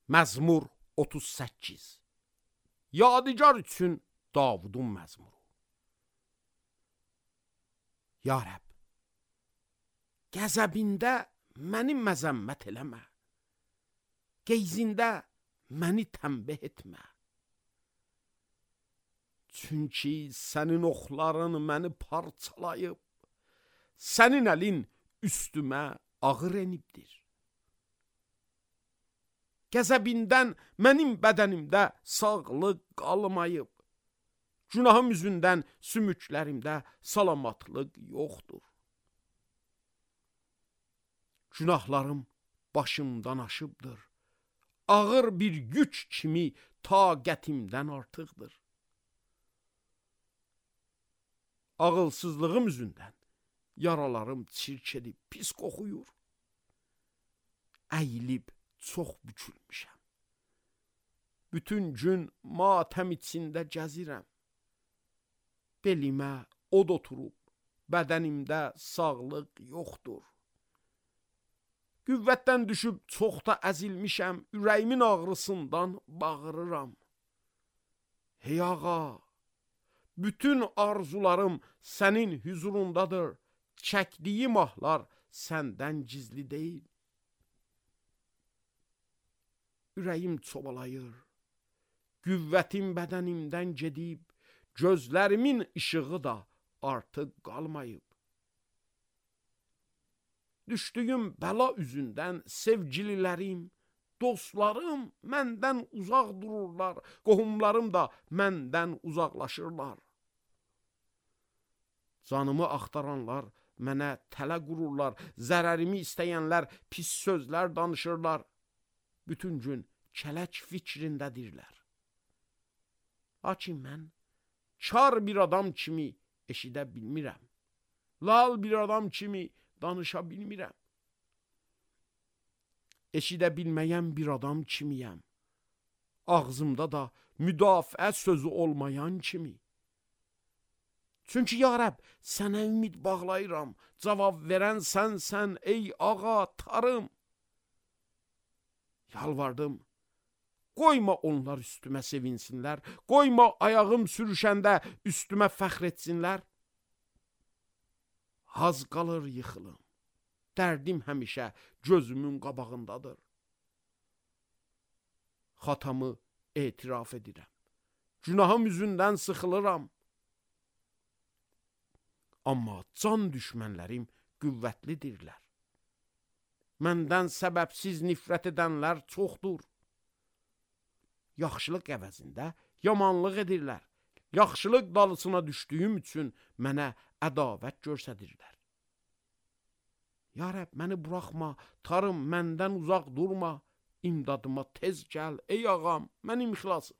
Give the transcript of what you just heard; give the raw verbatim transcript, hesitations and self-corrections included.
Məzmur otuz səkkiz. Yadigar üçün Davudun məzmuru. Ya Rəbb, qəzəbində məni məzəmmət eləmə, qeyzində məni tənbih etmə. Çünki sənin oxların məni parçalayıb, sənin əlin üstümə ağır enibdir. Qəzəbindən mənim bədənimdə sağlıq qalmayıb, günahım üzündən sümüklərimdə salamatlıq yoxdur. Günahlarım başımdan aşıbdır, ağır bir güc kimi taqətimdən artıqdır. Ağılsızlığım üzündən yaralarım çirk edib pis qoxuyur. Əyilib çox bükülmüşəm. Bütün gün matəm içində gəzirəm. Belimə od oturub, bədənimdə sağlıq yoxdur. Qüvvətdən düşüb çox da əzilmişəm, ürəyimin ağrısından bağırıram. Hey ağa, bütün arzularım sənin hüzurundadır, çəkdiyim ahlar səndən gizli deyil. Ürəyim çobalayır, qüvvətim bədənimdən gedib, gözlərimin işığı da artıq qalmayıb. Düşdüyüm bəla üzündən sevgililərim, dostlarım məndən uzaq dururlar, qohumlarım da məndən uzaqlaşırlar. Canımı axtaranlar mənə tələ qururlar, zərərimi istəyənlər pis sözlər danışırlar. Bütün gün kələk fikrindədirlər. Lakin mən kar bir adam kimi eşidə bilmirəm. Lal bir adam kimi danışa bilmirəm. Eşidə bilməyən bir adam kimiyəm. Ağzımda da müdafiə sözü olmayan kimi. Çünki ya Rəbb, sənə ümid bağlayıram. Cavab verən sənsən ey ağa, tarım. Yalvardım, qoyma onlar üstümə sevinsinlər, qoyma ayağım sürüşəndə üstümə fəxr etsinlər. Haz qalır yıxılım, dərdim həmişə gözümün qabağındadır. Xatamı etiraf edirəm, günahım üzündən sıxılıram. Amma can düşmənlərim qüvvətlidirlər. Məndən səbəbsiz nifrət edənlər çoxdur. Yaxşılıq əvəzində yamanlıq edirlər. Yaxşılıq dalısına düşdüyüm üçün mənə ədavət göstərirlər. Ya Rəbb, məni buraxma, tarım, məndən uzaq durma. İmdadıma tez gəl, ey ağam, mənim xilasım.